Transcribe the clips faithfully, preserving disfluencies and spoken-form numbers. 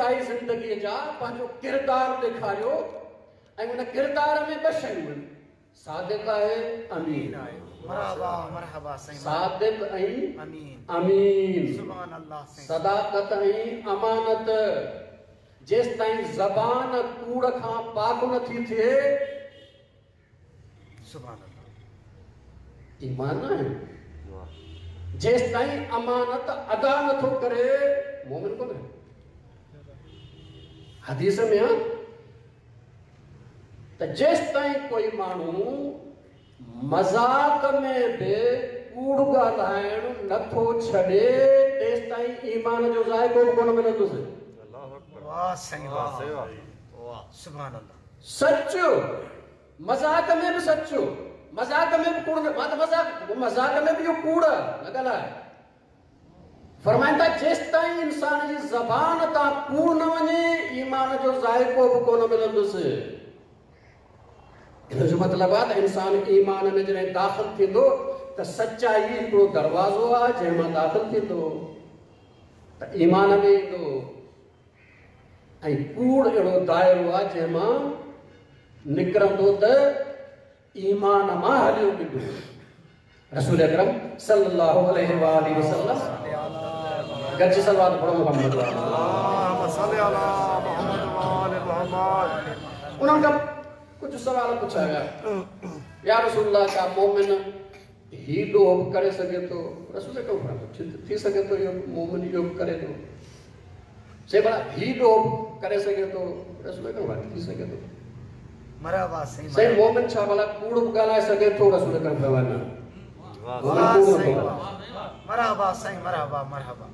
ابتدائي ज़िंदगीअ जा पंहिंजो किरदारु ॾेखारियो ऐं उन किरदार में ॿ शयूं आहिनि, सादिक आहे, अमीन आहे। मरहबा मरहबा साईं। सादिक ऐं अमीन, अमीन। सुभान अल्लाह साईं। सदाकत ऐं अमानत। जेसि ताईं ज़बान कूड़ खां पाक नथी थिए, सुभान अल्लाह, ईमान न आहे। जेसि ताईं अमानत अदा नथो करे, मोमिन कोन्हे। हदीस में आहे त जेसि ताईं कोई माण्हू मज़ाक में बि कूड़ ॻाल्हाइणु नथो छॾे, तेसि ताईं ईमान जो ज़ाइक़ो बि कोन मिलंदुसि। वाह साईं वाह, वाह सुभान अल्लाह। सच मज़ाक में बि सच, मज़ाक में बि कूड़ न, मां त मज़ाक मज़ाक में बि इहो कूड़ न ॻाल्हाए। फरमाइनि था जेसि ताईं इंसान जी ज़बान तां कूड़ न वञे, ईमान जो ज़ाइक़ो बि कोन मिलंदुसि। इन जो मतिलबु आहे त इंसान ईमान में जॾहिं दाख़िल थींदो त सचाई हिकिड़ो दरवाज़ो आहे जंहिं मां दाख़िल थींदो त ईमान में ईंदो, ऐं कूड़ अहिड़ो दायरो आहे जंहिं मां निकिरंदो त ईमान मां हलियो वेंदो। रसूल अकरम सल्लल्लाहु अलैहि वसल्लम गॾिजी सलवात पढ़ो मोहम्मद। उन्हनि खां कुझु सवाल पुछा विया, या रसूलुल्लाह, छा मोमिन ही ॾोह बि करे सघे थो? रसूल अकरम फरमायो, थी सघे थो इहो मोमिन इहो बि करे थो। से भला ही ॾोह बि करे सघे थो? रसूल अकरम फरमायो, थी सघे थो। मरहबा सही। सही मोमिन छा भला कूड़ बि ॻाल्हाए सघे थो? रसूल अकरम फरमायो, न। मरहबा सही, मरहबा मरहबा।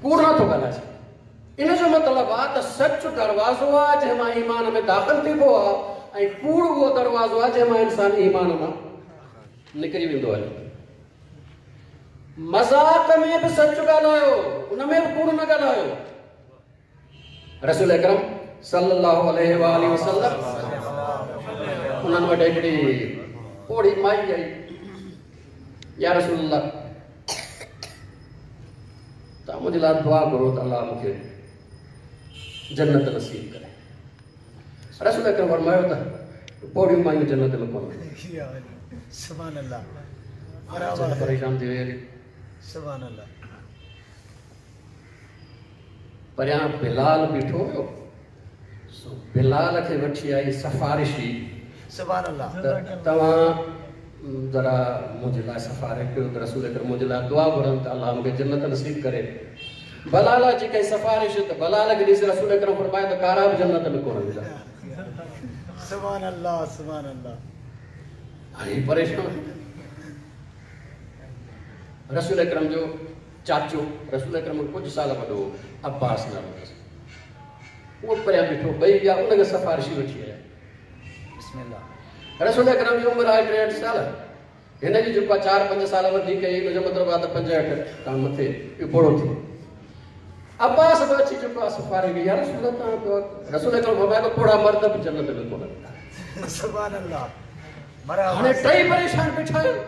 कूड़ नथो ॻाल्हाए सघे। इन जो मतिलबु आहे त सच दरवाज़ो आहे जंहिं मां ईमान में दाख़िल थिबो आहे, ऐं कूड़ उहो दरवाज़ो आहे जंहिं मां इंसान ईमान मां निकिरी वेंदो आहे। मज़ाक में बि सच ॻाल्हायो, उन में बि कूड़ न ॻाल्हायो। रसूल अकरम सल्लल्लाहु अलैहि वसल्लम उन्हनि वटि हिकिड़ी पोड़ी माई आई, या रसूलुल्लाह, तव्हां मुंहिंजे लाइ दुआ घुरो त अल्लाह मूंखे जन्नत नसीब करे। रसूल अकरम फरमायो त पोड़ियूं मायूं जन्नत में कोन। सुभान अल्लाह। परेशान थी वई। सुभान अल्लाह। परियां बिलाल बीठो हुयो, सो बिलाल खे वठी आई सिफारिशी। सुभान अल्लाह। तव्हां ज़रा मुंहिंजे लाइ सिफारिश कयो त रसूल अकरम मुंहिंजे लाइ दुआ घुरनि त अल्लाह मूंखे जन्नत नसीब करे। बलाल जी कई सिफारिश त बलाल खे ॾिसी रसूल अकरम फरमायो त कारा बि जन्नत में कोन वेंदा। सुभान अल्लाह सुभान अल्लाह। हाणे परेशान। रसूल अकरम जो चाचो, रसूल अकरम कुझु साल वॾो अब्बास नालो अथसि, उहो परियां बीठो, ॿई विया उनखे सिफारिशी वठी आया। बिस्मिल्लाह। रसूल अकरम जी उमिरि आहे टेहठि साल, हिन जी जेको आहे चारि पंज साल वधीक हुई, हुनजो मतिलबु आहे त पंजहठि खां मथे इहो पोड़ो थियो। अब्बास बि अची चुको आहे सिफारिश कई, या रसूल अल्लाह, रसूल अकरम फरमायो त पोड़ा मर्द बि जन्नत में कोन वेंदा। सुभान अल्लाह। हाणे टई परेशान बीठा आहिनि।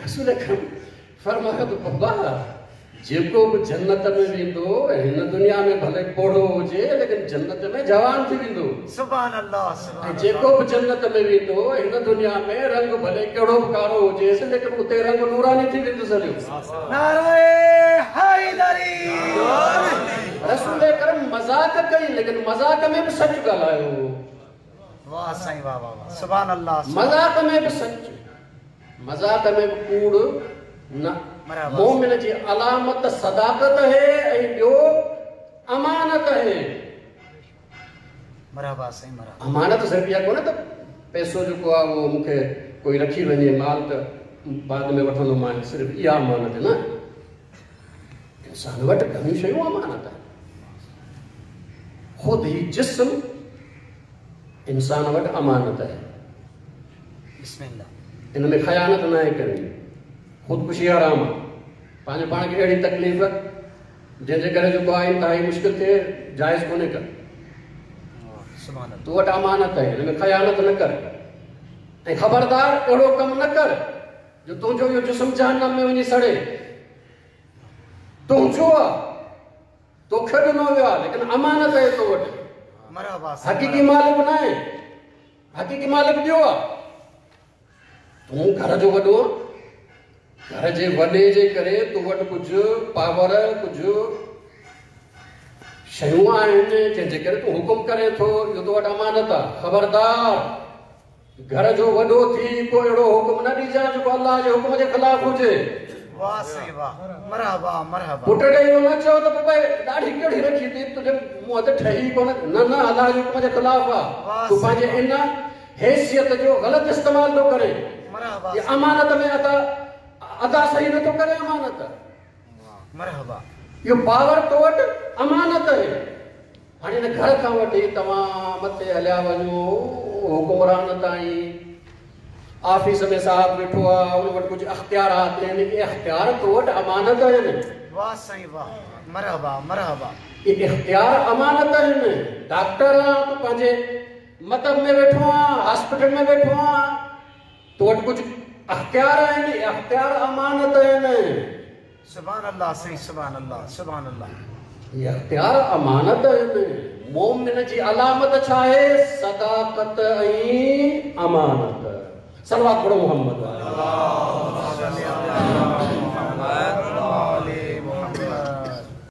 रसूल अकरम फरमायो त बाबा, जेको बि जन्नत में वेंदो, हिन दुनिया में भले पोड़ो हुजे, लेकिन जन्नत में जवान थी वेंदो। सुभान अल्लाह। ऐं जेको बि जन्नत में वेंदो, हिन दुनिया में रंग भले कहिड़ो बि कारो हुजेसि, लेकिन उते रंग नूरानी थी वेंदुसि हलियो। नाराए हैदरी। रसूल अकरम मज़ाक कई, लेकिन मज़ाक में बि सच ॻाल्हायो। वाह साईं वाह वाह वाह। सुभान अल्लाह। मज़ाक में बि सच, मज़ाक में बि कूड़ न। मोमिन जी अलामत सदाकत है ऐं ॿियो अमानत है। मरहबा साईं मरहबा। अमानत सिर्फ़ इहा कोन्हे त पैसो जेको आहे उहो मूंखे कोई रखी वञे माल त बाद में वठंदोमांइ, सिर्फ़ इहा अमानत न। इंसान वटि घणियूं शयूं अमानत आहिनि। ख़ुदि ही जिस्म इंसान वटि अमानत आहे। बिस्मिल्लाह। इन में ख़यानत न आहे करणी, ख़ुदकुशी हराम आहे। पंहिंजे पाण खे अहिड़ी तकलीफ़ जंहिंजे करे जेको आहे इंतिहाई मुश्किल थिए, जाइज़ कोन्हे कर। तूं वटि अमानत आहे, हिन में ख़यानत न कर। ऐं ख़बरदार अहिड़ो कमु न कर जो तुंहिंजो इहो जिस्म जहन्नम में वञी सड़े। तुंहिंजो आहे, तो توکي ڏنو ويو آهي، ليڪن امانت آهي تو وٽ. مرحبا. حقيقي مالڪ نه آهي، حقيقي مالڪ ٻيو آهي. تون گهر جو وڏو، گهر جي وڏي جي ڪري تو وٽ ڪجهه پاور، ڪجهه شيون آهن، جنهن جي ڪري تون حڪم ڪرين ٿو. اهو تو وٽ امانت آهي. خبردار، گهر جو وڏو ٿي ڪو اهڙو حڪم نه ڏجانءِ جيڪو الله جي حڪم جي خلاف هجي. واهه سائين واهه، مرحبا مرحبا. پٽ کي اهو نه چئو ته بابا ڏاڙهي ڪهڙي رکي اٿئي، تنهنجي منهن تي ٺهي ڪونه. نه نه، الله جي حڪم جي خلاف آهي. تون پنهنجي ان حيثيت جو غلط استعمال ٿو ڪرين. مرحبا. امانت ۾ ادا ادا صحيح نٿو ڪري امانت. مرحبا. اهو پاور تو وٽ امانت آهي. هاڻي هن گهر کان وٺي توهان مٿي هليا وڃو حڪمران تائين، آفيس ۾ صاحب ويٺو آهي، ان وٽ ڪجهه اختيارات آهن. اهي اختيار تو وٽ امانت آهن. واهه سائين واهه، مرحبا مرحبا. اهي اختيار امانت آهن. ڊاڪٽر آهي، تون پنهنجي مطب ۾ ويٺو آهي، هاسپيٽل ۾ ويٺو آهي، تو وٽ ڪجهه اختيار آهن. اهي اختيار امانت آهن. سبحان الله سائين، سبحان الله سبحان الله. اهي اختيار امانت آهن. مومن جي علامت ڇا آهي؟ صداقت ۽ امانت. صلوات پڙهو محمد.